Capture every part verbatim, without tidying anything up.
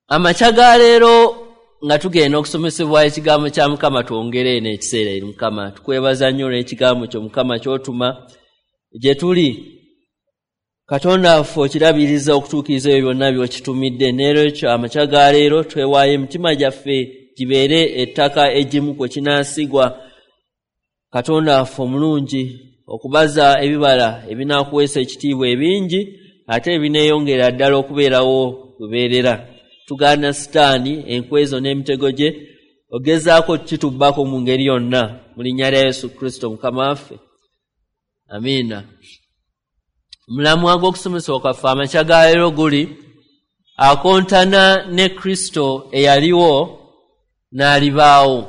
Amakya ga leero nga tugenda okusomesebwa ekigambo kya Mukama, twongere eno ekiseera eri Mukama. Tukwebaza nnyo olw'ekigambo kyo Mukama ky'otuma gye tuli. Katonda waffe okirabiriza okutuukiriza ebyo byonna by'okitumidde. N'olwekyo amakya ga leero twewaayo emitima gyaffe gibeere ettaka eggimu kwe kinaasigwa. Katonda waffe omulungi, okubaza ebibala ebinaakuweesa ekitiibwa ebingi ate ebineeyongera ddala okubeerawo lubeerera. Tugaana Sitaani enkwezo n'emitego gye ogezaako kitubbako mu ngeri yonna, mu linnya lya Yesu Kristo Mukama waffe, amiina. Omulamwa gw'okusomesebwa kwaffe amakya ga leero guli akontana ne Kristo eyaliwo n'alibaawo.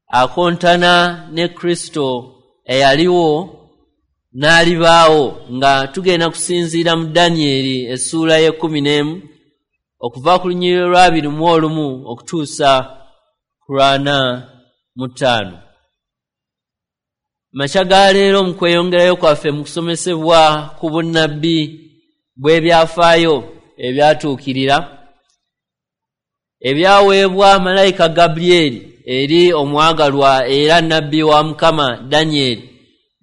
Akontana ne Kristo eyaliwo n'alibaawo, nga tugenda kusinziira mu Danyeri essuula y'ekkumi n'emu okuva ku lunyiriri olw'abiri mu olumu okutuusa ku lwana mu ttaano. Makya ga leero mu kweyongerayo kwaffe mu kusomesebwa ku bunnabbi bw'ebyafaayo ebyatuukirira ebyaweebwa malayika Gabulyeri eri omwagalwa era nnabbi wa Mukama Danyeri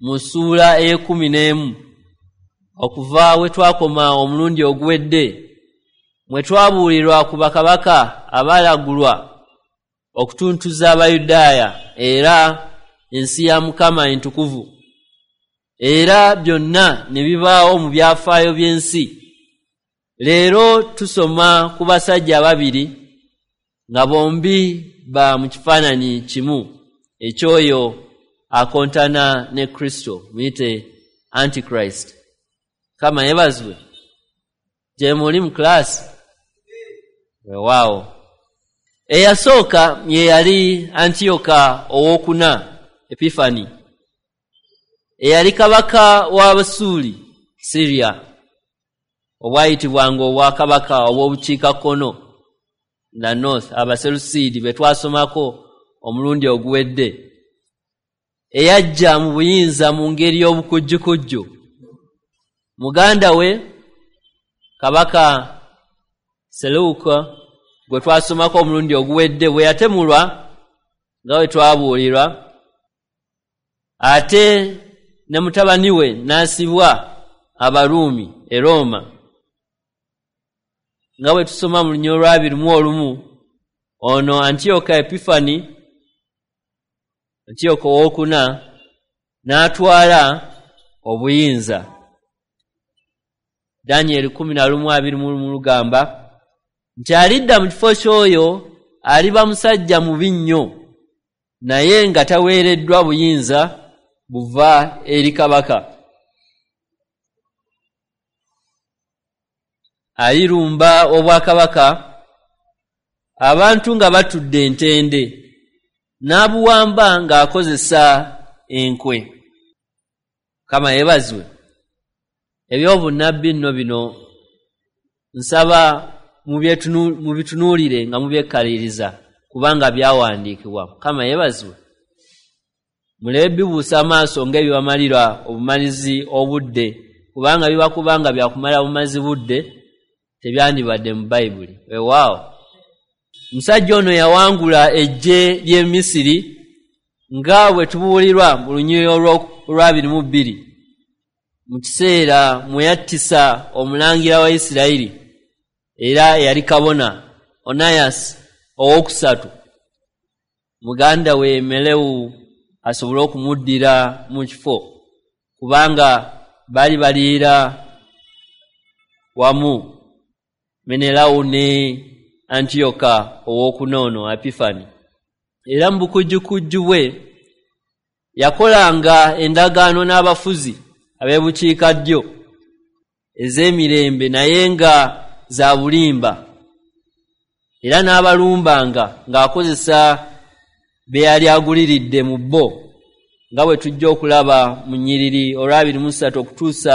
mu ssuula ey'ekkumi n'emu, okuva we twakoma omulundi oguwedde, mwe twabuulirwa ku bakabaka abaalagulwa okutuntuza Abayudaaya era ensi ya Mukama entukuvu, era byonna ne bibaawo mu byafaayo by'ensi. Leero tusoma ku basajja babiri nga bombi ba mu kifaananyi kimu eky'oyo akontana ne Kristo, muyite Antichrist. Kama yeebazibwe. Gye muli mu kilaasi? Weewaawo. Eyasooka ye yali Antiyoka owookuna Epifani, eyali kabaka wa Busuuli Syria, obwayitibwanga obwakabaka obw'obukiikakkono na North, Abaselusiidi be twasomako omulundi oguwedde, eyajja mu buyinza mu ngeri y'obukujjukujju. Muganda we kabaka Seleuka gwe twasomako omulundi oguwedde bwe yatemulwa nga bwe twabuulirwa, ate ne mutabani we n'asibwa Abaruumi e Roma, nga bwe tusoma mu lunyiriri olw'abiri mu olumu. Ono Antiyoka Epifani, Antiyoka owookuna, n'atwala obuyinza. Danyeri kkumi na lumu abiri mu lumu lugamba nti alidda mu kifo ky'oyo aliba musajja mubi nnyo, naye nga taweereddwa buyinza buva eri kabaka. Alirumba obwakabaka abantu nga batudde entende, n'abuwamba ng'akozesa enkwe. Mukama yeebazibwe. Ebyobunnabbi nno bino nsaba mubitunuulire nga mubyekkaliriza, kubanga byawandiikibwa. Mukama yeebazibwe. Mulebe bibuusa amaaso ng'ebibamalira obumalizi obudde, kubanga biba kubanga byakumala bumazi budde, tebyandibadde mu Bayibuli. Weewaawo. Omusajja ono yawangula eggye ly'e Misiri nga bwe tubuulirwa mu lunyiriri olw'abiri mu bbiri, mu kiseera mwe yattisa omulangira wa Isirayiri era eyali kabona Onayasi owookusatu, muganda we Melewu asobole okumuddira mu kifo, kubanga baali baliira wamu Menelawu ne Antiyoka owookuna ono Epifani. Era mu bukujjukujju bwe yakolanga endagaano n'abafuzi ab'ebukiikaddyo ez'emirembe, naye nga za bulimba, era n'abalumbanga ng'akozesa be yali aguliridde mu bo, nga bwe tujja okulaba mu nnyiriri olw'abiri mu ssatu okutuusa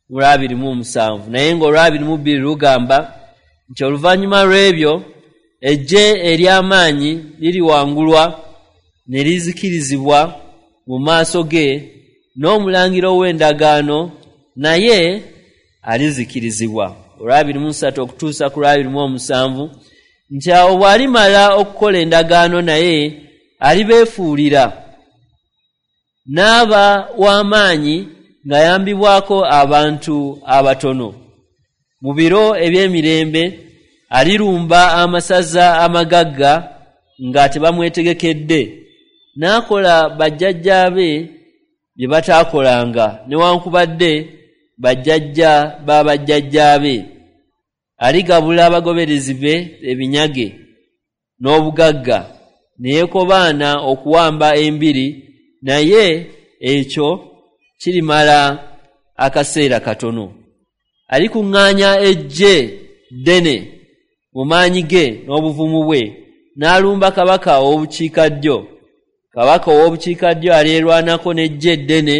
mu lw'abiri mu musanvu. Naye ng'olw'abiri mu bbiri lugamba nti oluvannyuma lw'ebyo eggye ery'amaanyi liriwangulwa ne lizikirizibwa mu maaso ge, n'omulangira ow'endagaano naye alizikirizibwa. olwabiri mu ssatu okutuusa ku lwabiri mu omusanvu nti awo bw'alimala okukola endagaano naye alibeefuulira n'aba w'amaanyi ng'ayambibwako abantu abatono. Mu biro eby'emirembe alirumba amasaza amagagga nga tebamwetegekedde, n'akola bajjajjaabe bye bataakolanga newankubadde bajjajja ba bajjajjaabe. Aligabula abagoberezi be ebinyage n'obugagga, ne yeekobaana okuwamba embiri, naye ekyo kirimala akaseera katono. Alikuŋŋaanya eggye ddene mu maanyi ge n'obuvumu bwe, n'alumba kabaka ow'obukiikaddyo. Kabaka ow'obukiikaddyo alyerwanako n'eggye ddene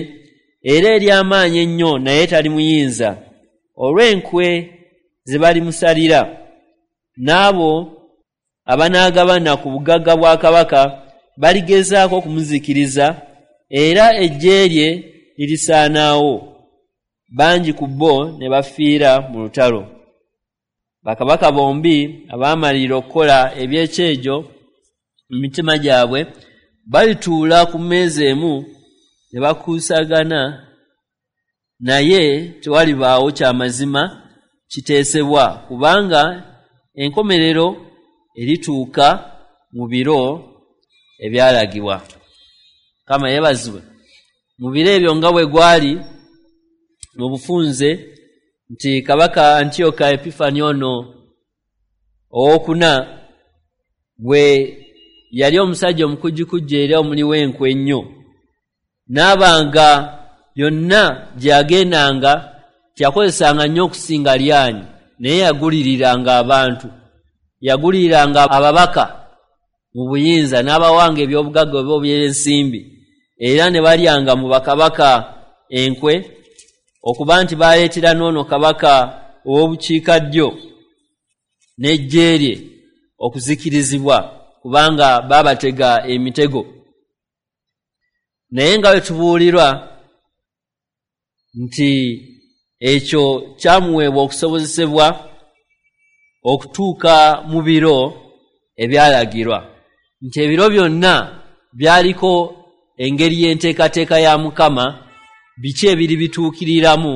era ery'amaanyi ennyo, naye talimuyinza olw'enkwe ze balimusalira. N'abo abanaagabana ku bugagga bwa kabaka baligezaako okumuzikiriza, era eggye lye lirisaanaawo. Bangi ku bo ne bafiira mu lutalo. Bakabaka bombi abaamalirira okukola ebyekyejo mu mitima gyabwe balituula ku mmeeza emu ne bakuusagana, naye tewalibaawo kyamazima kiteesebwa, kubanga enkomerero erituuka mu biro ebyalagibwa. Mukama yeebazibwe. Mu biro ebyo nga bwe gwali mu bufunze nti kabaka Antiyoka Epifani ono owookuna bwe yali omusajja omukujjukujju era omuli w'enkwe ennyo, n'abanga yonna gye yagendanga teyakozesanga nnyo okusinga lyanyi, naye yaguliriranga abantu, yaguliriranga ababaka mu buyinza n'abawanga ebyobugagga oba eby'ensimbi, era ne balyanga mu bakabaka enkwe, okuba nti baleetera n'ono kabaka ow'obukiikaddyo n'eggye lye okuzikirizibwa, kubanga baabatega emitego. Naye nga bwe tubuulirwa nti ekyo kyamuweebwa okusobozesebwa okutuuka mu biro ebyalagirwa, nti ebiro byonna byaliko engeri y'enteekateeka ya Mukama, biki ebiri bituukiriramu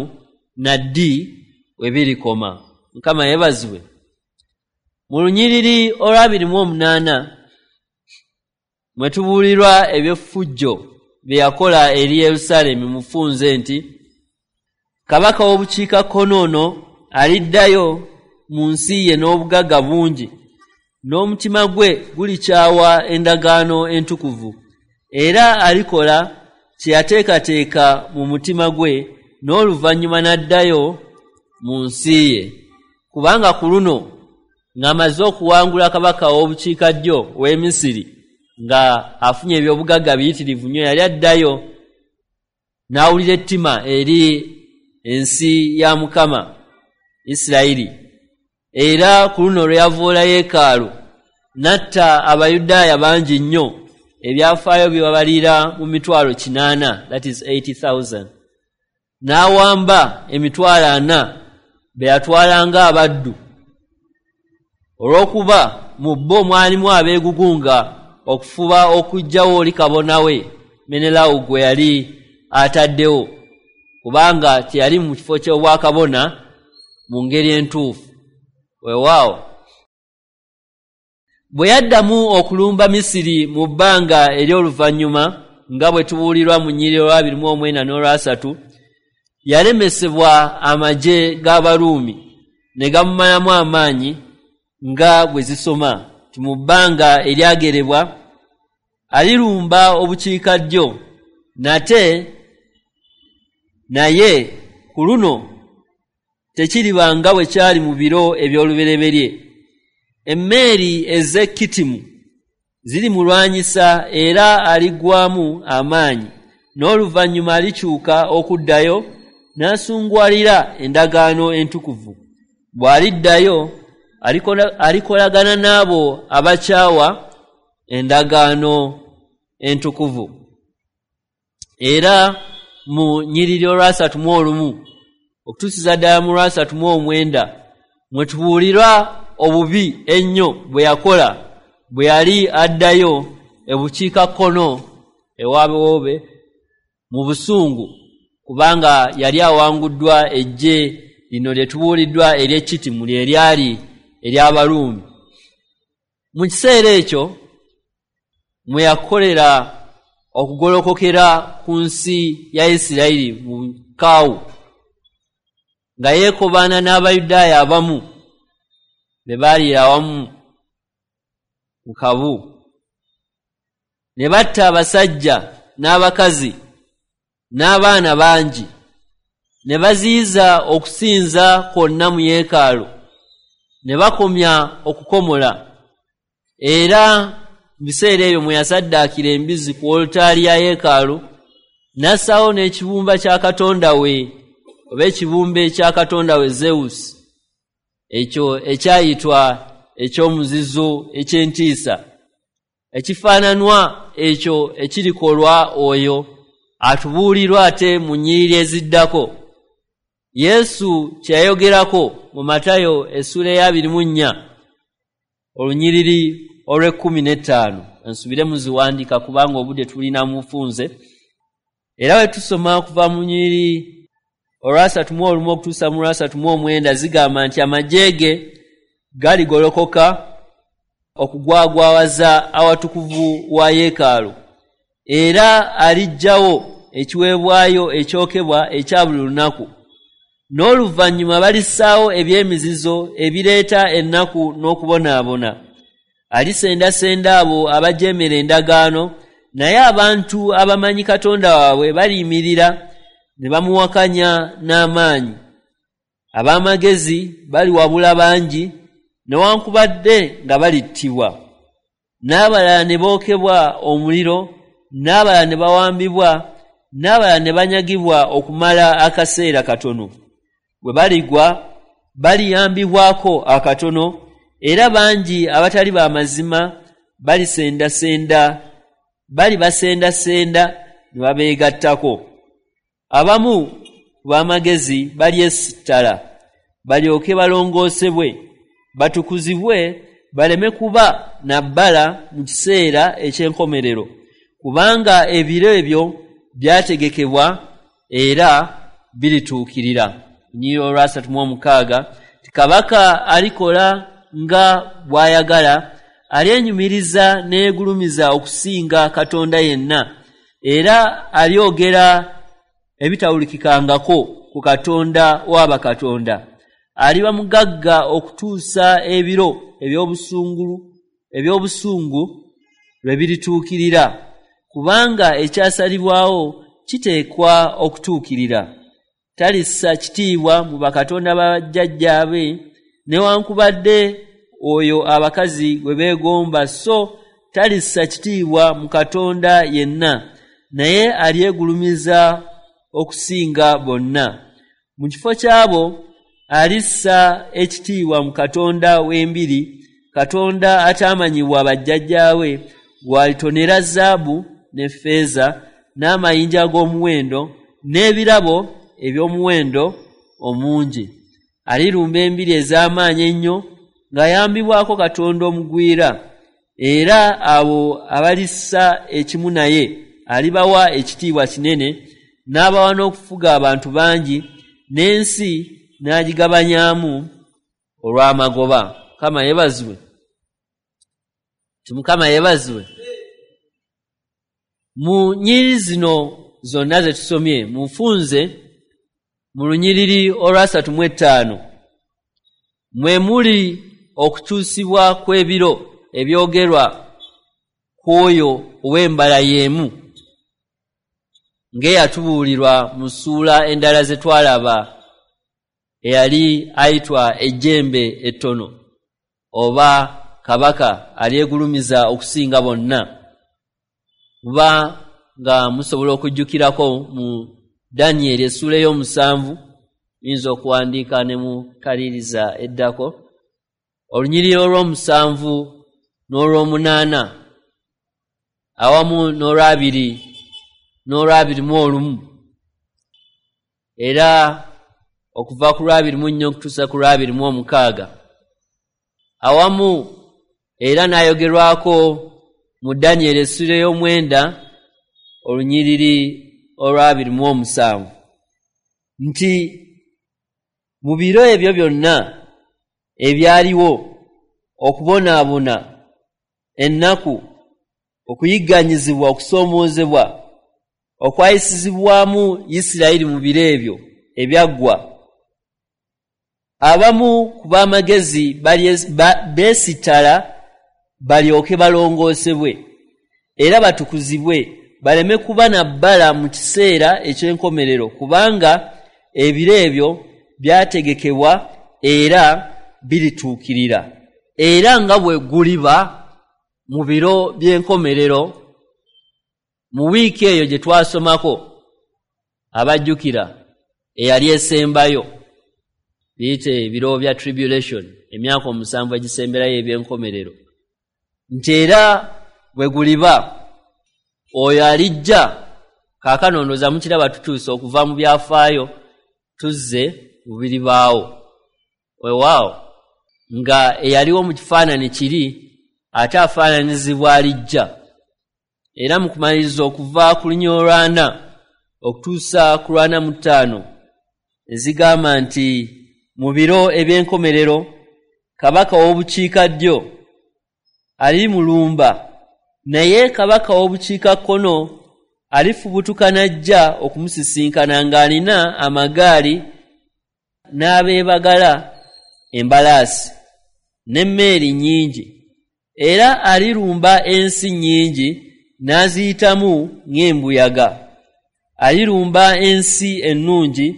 na ddi we birikoma. Mukama yeebazibwe. Mu lunyiriri olwabiri mu omunaana mwe tubuulirwa eby'effujjo bye yakola eri Yerusaalemi mufunze nti kabaka w'obukiikakkono ono aliddayo mu nsi ye n'obugagga bungi, n'omutima gwe gulikyawa endagaano entukuvu, era alikola kye yateekateeka mu mutima gwe, n'oluvannyuma n'addayo mu nsi ye. Kubanga ku luno ng'amaze okuwangula kabaka w'obukiikaddyo ow'e Misiri, nga afunye ebyobugagga biyitirivu nnyo, yali addayo n'awulira ettima eri ensi ya Mukama Isirayiri. Era ku luno lwe yavoola yeekaalu n'atta Abayudaaya bangi nnyo, ebyafaayo bibabalira mu mitwalo kinaana, that is eighty thousand, n'awamba emitwalo ana be yatwalanga abaddu, olw'okuba mu bo mwalimu abeegugunga okufuba okuggyawo oli kabona we Menelawu gwe yali ataddewo, kubanga teyali mu kifo ky'obwakabona mu ngeri entuufu. Weewaawo bwe yaddamu okulumba Misiri mu bbanga ery'oluvannyuma, nga bwe tubuulirwa mu nnyiriri olwabiri mu omwenda n'olwasatu, yalemesebwa amagye g'Abaruumi ne gamumalamu amaanyi, nga bwe zisoma nti mu bbanga eryagerebwa alirumba obukiikaddyo nate, naye ku luno tekiriba nga bwe kyali mu biro eby'olubereberye. Emmeeri ez'e Kitimu zirimulwanyisa era aliggwaamu amaanyi, n'oluvannyuma alikyuka okuddayo n'asungwalira endagaano entukuvu. Bw'aliddayo alikolagana n'abo abakyawa endagaano entukuvu. Era mu nnyiriri olwasatu mu olumu okutuusiza ddala mu lwasatu mu omwenda Mwe tubuulirwa obubi ennyo bwe yakola bwe yali addayo ebukiikakkono ewaabewoobe mu busungu, kubanga yali awanguddwa eggye lino lye tubuuliddwa ery'Ekitimu lye lyali ery'Abaruumi. Mu kiseera ekyo mwe yakolera okugolokokera ku nsi ya Isirayiri mu Kaawu, nga yeekobaana n'Abayudaaya abamu be baaliira awamu mu kabu, ne batta abasajja n'abakazi n'abaana bangi, ne baziyiza okusinza kwonna mu yeekaalu, ne bakomya okukomola. Era mu biseera ebyo mwe yasaddaakira embizzi ku olutaali ya yeekaalu, n'assaawo n'ekibumba kya katonda we oba ekibumbe kya katonda we Zeus, ekyo ekyayitwa eky'omuzizo eky'entiisa, ekifaananwa ekyo ekirikolwa oyo atubuulirwa ate mu nnyiriri eziddako. Yesu kye yayogerako mu Matayo essuula ey'abiri mu nnya olunyiriri olw'ekkumi n'ettaano. Nsubire muziwandiika kubanga obudde tulina mufunze. Era bwe tusoma okuva mu nnyiriri olwasatu mu olumu okutuusa mu lwasatu mu omwenda, zigamba nti amagye ge galigolokoka okugwagwawaza awatukuvu wa yeekaalu, era aliggyawo ekiweebwayo ekyokebwa ekya buli lunaku. N'oluvannyuma balissaawo eby'emizizo ebireeta ennaku n'okubonaabona. Alisendasenda abo abajeemera endagaano, naye abantu abamanyi Katonda waabwe baliyimirira ne bamuwakanya n'amaanyi. Ab'amagezi baliwabula bangi, newankubadde nga balittibwa, n'abalala ne bookebwa omuliro, n'abalala ne bawambibwa, n'abalala ne banyagibwa okumala akaseera katono. Bwe baligwa baliyambibwako akatono, era bangi abatali b'amazima balisendasenda balibasendasenda ne babeegattako. Abamu ku b'amagezi balyesittala, balyoke balongoosebwe, batukuzibwe, baleme kuba na bbala mu kiseera eky'enkomerero, kubanga ebiro ebyo byategekebwa era birituukirira. Lunyiriri olwasatu mu omukaaga, ti kabaka alikola nga bw'ayagala, alyenyumiriza n'eyeegulumiza okusinga Katonda yenna, era alyogera ebitawulikikangako ku Katonda w'abakatonda. Aliba mugagga okutuusa ebiro eby'obusungu eby'obusungu lwe birituukirira, kubanga ekyasalibwawo kiteekwa okutuukirira. Talissa kitiibwa mu bakatonda bajjajjaabe, newankubadde oyo abakazi gwe beegomba, so talissa kitiibwa mu Katonda yenna, naye alyegulumiza okusinga bonna. Mu kifo kyabo alissa ekitiibwa mu Katonda w'embiri, Katonda ataamanyibwa bajjajjaawe, gw'alitonera zaabu ne ffeeza n'amayinja ag'omuwendo n'ebirabo eby'omuwendo omungi. Alirumba embiri ez'amaanyi ennyo ng'ayambibwako Katonda omugwira, era abo abalissa ekimu naye alibawa ekitiibwa kinene, n'abawa n'okufuga abantu bangi, n'ensi n'agigabanyaamu olw'amagoba. Mukama yeebazibwe. Ti Mukama yeebazibwe. Mu nnyiriri zino zonna ze tusomye, mufunze mu lunyiriri olwasatu mu ettaano mwe muli okukyusibwa kw'ebiro ebyogerwa ku oyo ow'embala y'emu, ng'eyatubuulirwa mu ssuula endala ze twalaba, eyali ayitwa ejjembe ettono oba kabaka alyegulumiza okusinga bonna. Muba nga musobola okujjukirako mu Danyeri essuula ey'omusanvu, muyinza okuwandiika ne mukaliriza eddako, olunyiriri olw'omusanvu n'olw'omunaana awamu n'olwabiri n'olwabiri mu olumu. Era okuva ku lwabiri mu nnya okutuusa ku lwabiri mu omukaaga, awamu era n'ayogerwako mu Danyeri essula ey'omwenda olunyiriri olwabiri mu omusanvu, nti mu biro ebyo byonna ebyaliwo okubonaabona, ennaku, okuyigganyizibwa, okusoomoozebwa okwayisizibwamu Isirayiri mu biro ebyo ebyaggwa, abamu ku b'amagezi beesittala balyoke balongoosebwe era batukuzibwe, baleme kuba na bbala mu kiseera eky'enkomerero, kubanga ebiro ebyo byategekebwa era birituukirira. Era nga bwe guliba mu biro by'enkomerero, mu wiiki eyo gye twasomako abajjukira eyali esembayo, biyite ebiro bya tribulation, emyaka omusanvu egisemberayo eby'enkomerero, nti era bwe guliba oyo alijja. Kaakano ndowooza mukiraba tutuuse okuva mu byafaayo tuzze mu biribaawo. Weewaawo nga eyaliwo mu kifaananyi kiri ate afaananyizibwa alijja. Era mu kumaliriza okuva ku lunya olwana okutuusa ku lwana mu ttaano ezigamba nti mu biro eby'enkomerero kabaka w'obukiikaddyo alimulumba, naye kabaka w'obukiikakkono alifubutuka n'ajja okumusisinkana ng'alina amagaali n'abeebagala embalaasi n'emmeeri nnyingi, era alirumba ensi nnyingi n'aziyitamu ng'embuyaga. Alirumba ensi ennungi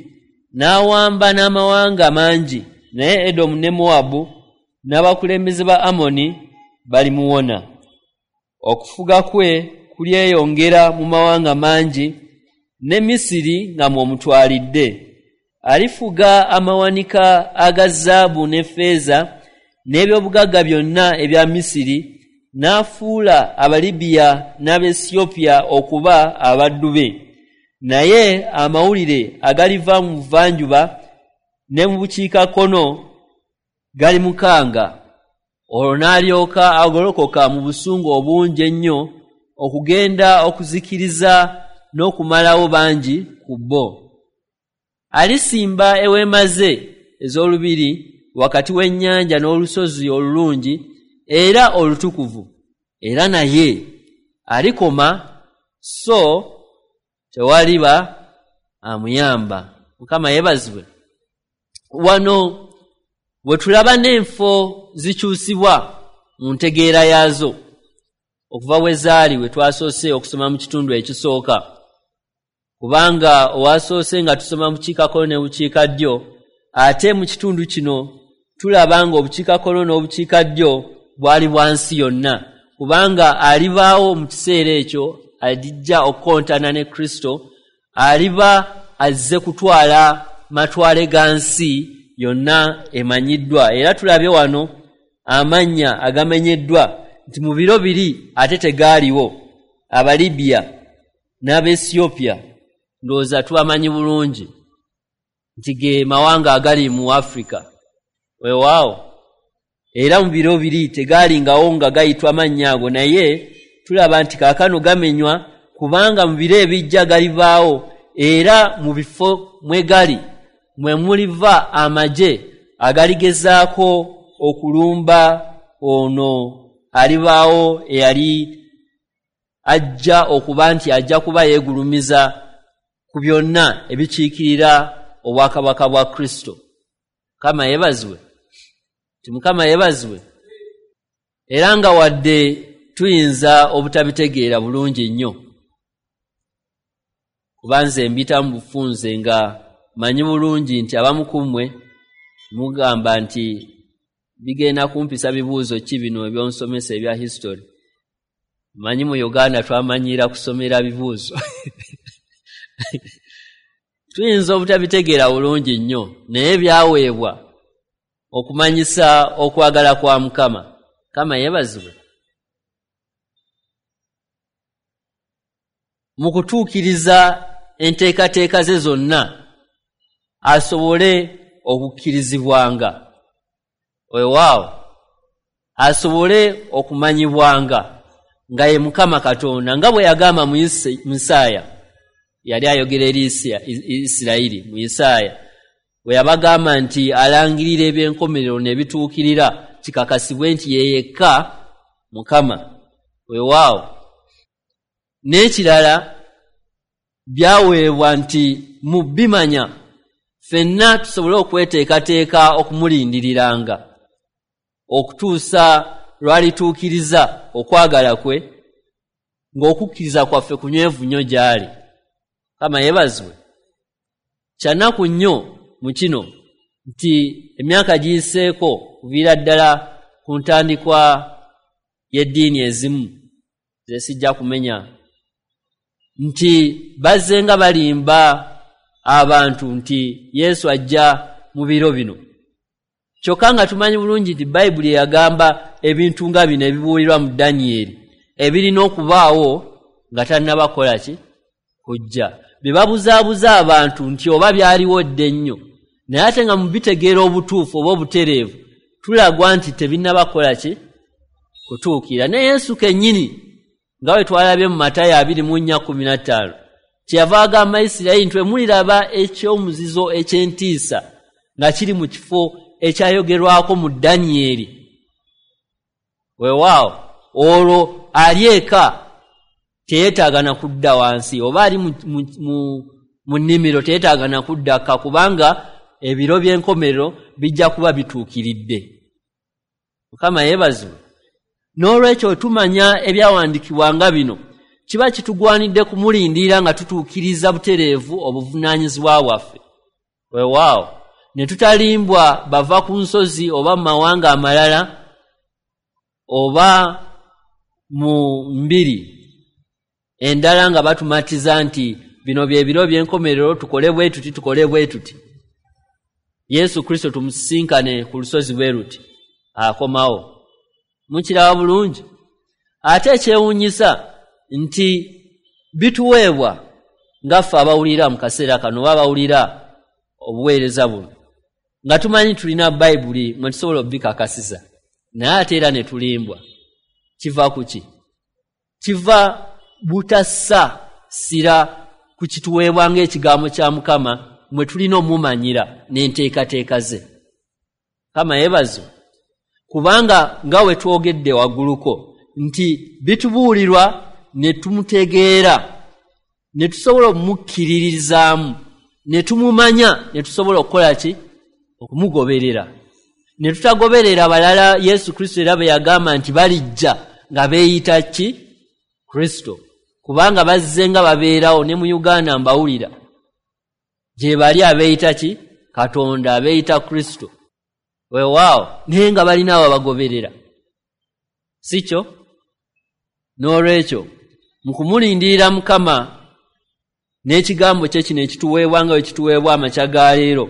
n'awamba n'amawanga mangi, naye Edomu ne Mowabu n'abakulembeze ba Amoni balimuwona. Okufuga kwe kulyeyongera mu mawanga mangi, ne Misiri nga mw'omutwalidde. Alifuga amawanika aga zaabu ne ffeeza n'ebyobugagga byonna ebya Misiri, n'afuula Abalibiya n'Abaesiyopya okuba abaddu be. Naye amawulire agaliva mu buvanjuba ne mu bukiikakkono galimukanga, olwo n'alyoka agolokoka mu busungu obungi ennyo okugenda okuzikiriza n'okumalawo bangi ku bo. Alisimba eweema ze ez'olubiri wakati w'ennyanja n'olusozi olulungi era olutukuvu, era naye alikoma, so tewaliba amuyamba. Mukama yeebazibwe. Wano bwe tulaba n'enfo zikyusibwa mu ntegeera yaazo okuva we zaali we twasoose okusoma mu kitundu ekisooka, kubanga owasoose nga tusoma mu bukiikakkono ne bukiikaddyo, ate mu kitundu kino tulaba nga obukiikakkono n'obukiikaddyo bwali bwa nsi yonna, kubanga alibaawo mu kiseera ekyo alijja okukontana ne Kristo, aliba azze kutwala matwale ga nsi yonna emanyiddwa. Era tulabye wano amannya agamenyeddwa nti mu biro biri ate tegaaliwo, Abalibiya n'Abaesiyopya ndowooza tubamanyi bulungi nti ge mawanga agali mu Afrika. Weewaawo era mu biro biri tegaalingawo nga gayitwa mannya ago, naye tulaba nti kaakano gamenywa, kubanga mu biro ebijja galibaawo, era mu bifo mwe gali mwe muliva amagye agaligezaako okulumba ono alibaawo eyali ajja okuba nti ajja kuba yeegulumiza ku byonna ebikiikirira obwakabaka bwa Kristo. Mukama yeebazibwe. Ti Mukama yeebazibwe. Era nga wadde tuyinza obutabitegeera bulungi nnyo, kuba nze mbita mu bufunze nga manyi bulungi nti abamu ku mmwe mugamba nti bigenda kumpisa bibuuzo ki bino ebyonsomesa ebya history. Manyi mu Uganda twamanyiira kusomera bibuuzo. Tuyinza obutabitegeera bulungi nnyo, naye byaweebwa okumanyisa okwagala kwa Mukama. Mukama yeebazibwe. Mu kutuukiriza enteekateeka ze zonna asobole okukkirizibwanga, weewaawo asobole okumanyibwanga nga ye Mukama Katonda, nga bwe yagamba mu Isaaya. Yali ayogera eri Isirayiri mu Isaaya bwe yabagamba nti alangirira ebyenkomerero ne bituukirira, kikakasibwe nti ye yekka Mukama. Weewaawo n'ekirala byaweebwa nti mu bimanya ffenna tusobole okweteekateeka okumulindiriranga okutuusa lwalituukiriza okwagala kwe, ng'okukkiriza kwaffe kunywevu nnyo gy'ali. Mukama yeebazibwe. Kyannaku nnyo mu kino nti emyaka giyiseeko kuviira ddala ku ntandikwa y'eddiini ezimu ze sijja kumenya, nti bazze nga balimba abantu nti Yesu ajja mu biro bino, kyokka nga tumanyi bulungi nti Bayibuli eyagamba ebintu nga bino ebibuulirwa mu Danyeri ebirina okubaawo nga tannaba kukola ki? Kujja. Bye babuzaabuza abantu nti oba byaliwo dda ennyo, naye ate nga mu bitegeera obutuufu oba obutereevu tulagwa nti tebinnaba kukola ki? Kutuukira. Ne Yesu kennyini nga bwe twalabye mu Matayo abiri mu nnya kkumi na ttaano kyeyava agamba Isirayiri nti muliraba ekyomuzizo eky'entiisa nga kiri mu kifo ekyayogerwako mu Danyeri. Weewaawo olwo ali eka teyeetaaga na kudda wansi, oba ali mu nnimiro teyeetaaga na kudda kka, kubanga ebiro by'enkomerero bijja kuba bituukiridde. Mukama yeebazibwe. N'olwekyo tumanya ebyawandiikibwa nga bino, kiba kitugwanidde kumulindirira nga tutuukiriza butereevu obuvunaanyizibwa bwaffe. Weewaawo ne tutalimbwa bava ku nsozi oba mu mawanga amalala oba mu mbiri endala nga batumatiza nti bino bye biro by'enkomerero, tukole bwe tuti, tukole bwe tuti. Yesu Kristo tumusisinkane ku lusozi bwe luti, akomawo. Mukiraba bulungi. Ate ekyewuunyisa nti bituweebwa nga ffe abawulira mu kaseera kano oba abawulira obuweereza buno, nga tumanyi tulina Bayibuli mwe tusobola okubikakasiza, naye ate era ne tulimbwa. Kiva ku ki? Kiva butassa ssira ku kituweebwa ng'ekigambo kya Mukama mwe tulina omumanyira n'enteekateeka ze. Mukama yeebazibwe. Kubanga nga we twogedde wagguluko nti bitubuulirwa ne tumutegeera, ne tusobola omukkiririzaamu, ne tumumanya, ne tusobola okukola ki? Okumugoberera. Ne tutagoberera balala. Yesu Kristo era bwe yagamba nti balijja nga beeyita ki? Kristo. Kubanga bazze nga babeerawo ne mu Uganda mbawulira gye bali abeeyita ki? Katonda, abeeyita Kristo. Weewaawo naye nga balina abo abagoberera, si kyo? N'olwekyo mu kumulindirira Mukama n'ekigambo kye kino ekituweebwa nga bwe kituweebwa amakya ga leero,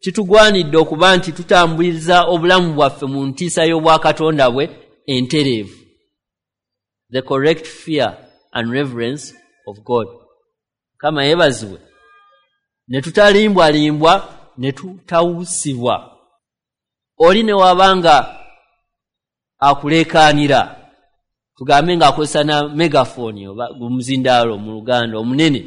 kitugwanidde okuba nti tutambuliza obulamu bwaffe mu ntiisa y'obwakatonda bwe entereevu, the correct fear and reverence of God. Mukama yeebazibwe. Ne tutalimbwalimbwa, ne tutawusibwa. Oli ne wabanga akuleekaanira, tugambe ng'akozesa na megafooni oba gumuzindaalo mu Luganda omunene,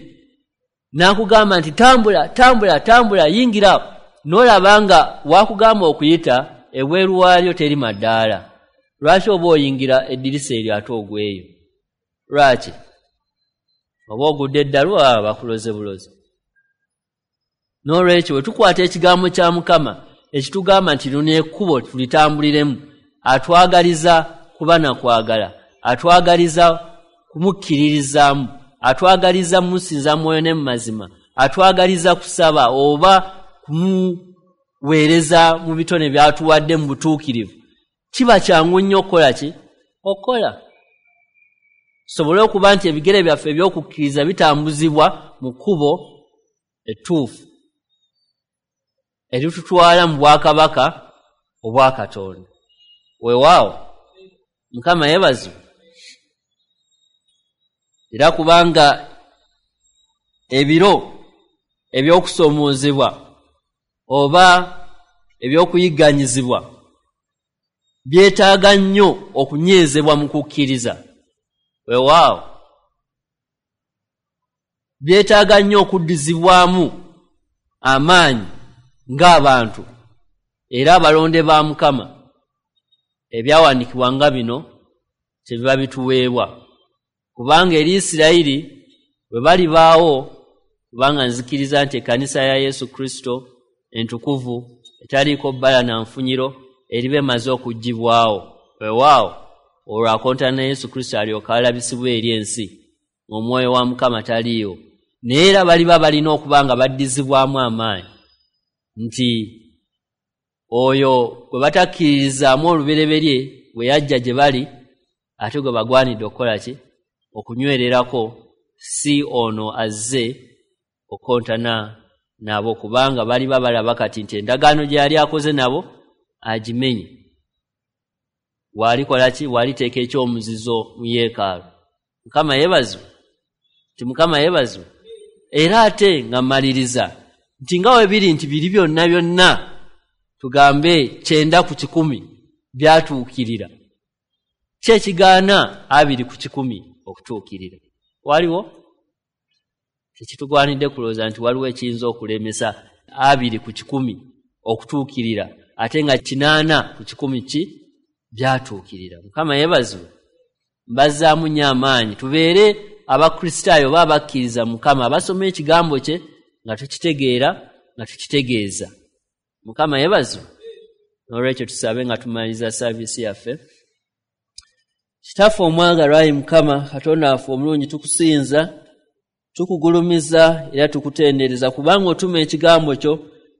n'akugamba nti tambula, tambula, tambula, yingira, n'olaba nga wakugamba okuyita ebweru waalyo teri maddaala. Lwaki oba oyingira eddirisa eryo ate ogweyo? Lwaki? Oba ogudde eddalu, aba bakuloze bulozi. N'olwekyo bwe tukwata ekigambo kya Mukama ekitugamba nti lino ekkubo tulitambuliremu, atwagaliza kuba na kwagala, atwagaliza kumukkiririzaamu, atwagaliza musinza mwoyo ne mu mazima, atwagaliza kusaba oba kumuweereza mu bitone by'atuwadde mu butuukirivu. Kiba kyangu nnyo okukola ki? Okukola. Tusobole okuba nti ebigere byaffe eby'okukkiriza bitambuzibwa mu kkubo ettuufu eritutwala mu bwakabaka obwa Katonda. Weewaawo Mukama yeebazibwe. Era kubanga ebiro eby'okusoomoozebwa oba ebyokuyigganyizibwa byetaaga nnyo okunywezebwa mu kukkiriza. Weewaawo byetaaga nnyo okuddizibwamu amaanyi ng'abantu era abalonde ba Mukama. Ebyawandiikibwa nga bino kyebiba bituweebwa, kubanga eri Isirayiri bwe balibaawo, kubanga nzikiriza nti ekkanisa ya Yesu Kristo entukuvu etaliiko bbala na nfunyiro eriba emaze okuggyibwawo. Weewaawo olwo akontana ne Yesu Kristo alyoka alabisibwa eri ensi ng'omwoyo wa Mukama taliiwo. Naye era baliba balina okuba nga baddizibwamu amaanyi nti oyo gwe batakkiririzaamu olubereberye bwe yajja gye bali, ate gwe bagwanidde okukola ki? Okunywererako, si ono azze okukontana nabo, kubanga baliba balaba kati nti endagaano gye yali akoze nabo agimenye. Waalikola ki? Waaliteeka ekyomuzizo mu yeekaalu. Mukama yeebazibwe, nti Mukama yeebazibwe. Era ate nga mmaliriza nti nga we biri nti biri byonna byonna tugambe kyenda ku kikumi byatuukirira, ki ekigaana abiri ku kikumi okutuukirira? Waliwo tekitugwanidde kulowooza nti waliwo ekiyinza okulemesa abiri ku kikumi okutuukirira ate nga kinaana ku kikumi ki byatuukirira. Mukama yeebazibwe. Mbazzaamu nnyo amaanyi tubeere Abakristaayo oba abakkiriza Mukama, abasoma ekigambo kye nga tukitegeera nga tukitegeeza. Mukama yeebazibwe. N'olwekyo tusabe nga tumaliriza saaviisi yaffe. Kitaffe omwagalwa, ayi Mukama Katonda waffe omulungi, tukusinza, tukugulumiza era tukutendereza, kubanga otuma ekigambo kyo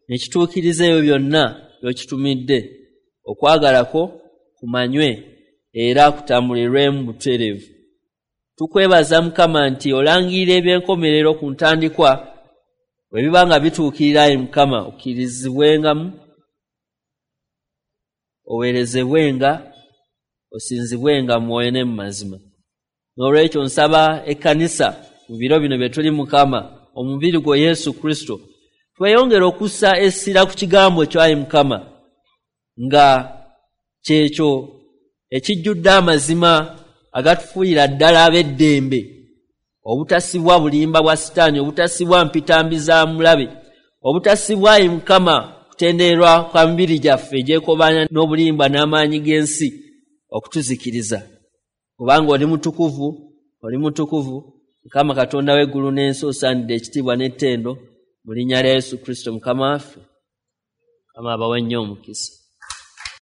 ne kituukiriza ebyo byonna by'okitumidde. Okwagala kwo kumanywe era kutambulirwemu butereevu. Tukwebaza Mukama nti olangirira ebyenkomerero ku ntandikwa, bwe biba nga bituukirira, ayi Mukama, okkirizibwengamu, oweerezebwenga, osinzibwenga mu mwoyo ne mu mazima. N'olwekyo nsaba ekkanisa mu biro bino bye tuli, Mukama, omubiri gwo Yesu Kristo, tweyongere okussa essira ku kigambo kyo, ayi Mukama, nga kyekyo ekijjudde amazima agatufuuyira ddala ab'eddembe, obutasibwa bulimba bwa Sitaani, obutasibwa mpitambi za mulabe, obutasibwa, ayi Mukama, kutenderwa kwa mibiri gyaffe egyekobaana n'obulimba n'amaanyi g'ensi okutuzikiriza. Kubanga oli mutukuvu, oli mutukuvu, Mukama Katonda w'eggulu n'ensi, osaanidde ekitiibwa n'ettendo mu linnya lya Yesu Kristo Mukama waffe. Mukama abawe nnyo omukisa.